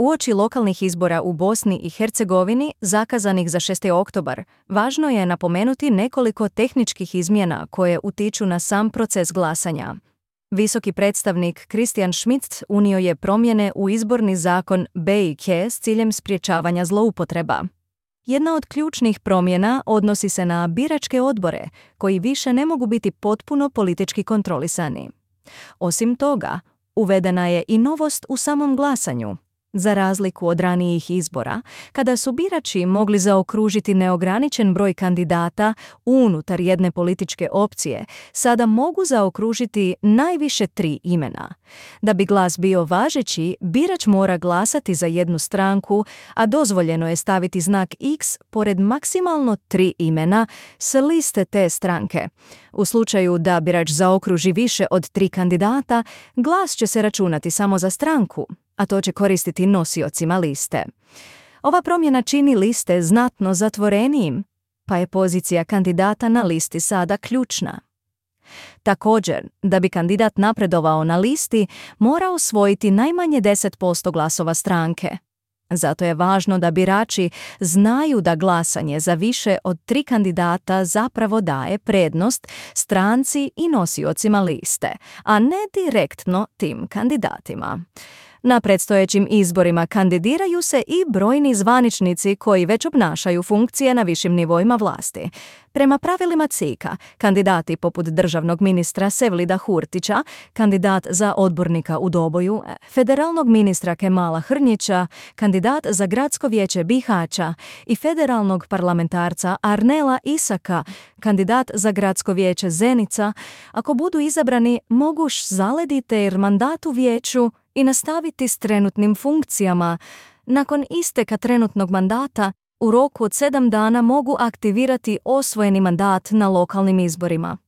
Uoči lokalnih izbora u Bosni i Hercegovini, zakazanih za 6. oktobar, važno je napomenuti nekoliko tehničkih izmjena koje utiču na sam proces glasanja. Visoki predstavnik Christian Schmidt unio je promjene u izborni zakon BiH s ciljem sprječavanja zloupotreba. Jedna od ključnih promjena odnosi se na biračke odbore, koji više ne mogu biti potpuno politički kontrolisani. Osim toga, uvedena je i novost u samom glasanju. Za razliku od ranijih izbora, kada su birači mogli zaokružiti neograničen broj kandidata unutar jedne političke opcije, sada mogu zaokružiti najviše 3 imena. Da bi glas bio važeći, birač mora glasati za jednu stranku, a dozvoljeno je staviti znak X pored maksimalno 3 imena s liste te stranke. U slučaju da birač zaokruži više od 3 kandidata, glas će se računati samo za stranku, a to će koristiti nosiocima liste. Ova promjena čini liste znatno zatvorenijim, pa je pozicija kandidata na listi sada ključna. Također, da bi kandidat napredovao na listi, mora osvojiti najmanje 10% glasova stranke. Zato je važno da birači znaju da glasanje za više od 3 kandidata zapravo daje prednost stranci i nosiocima liste, a ne direktno tim kandidatima. Na predstojećim izborima kandidiraju se i brojni zvaničnici koji već obnašaju funkcije na višim nivoima vlasti. Prema pravilima CIK-a, kandidati poput državnog ministra Sevlida Hurtića, kandidat za odbornika u Doboju, federalnog ministra Kemala Hrnjića, kandidat za gradsko vijeće Bihaća i federalnog parlamentarca Arnela Isaka, kandidat za gradsko vijeće Zenica, ako budu izabrani, mogu zalediti jer mandat u vijeću i nastaviti s trenutnim funkcijama. Nakon isteka trenutnog mandata, u roku od 7 dana mogu aktivirati osvojeni mandat na lokalnim izborima.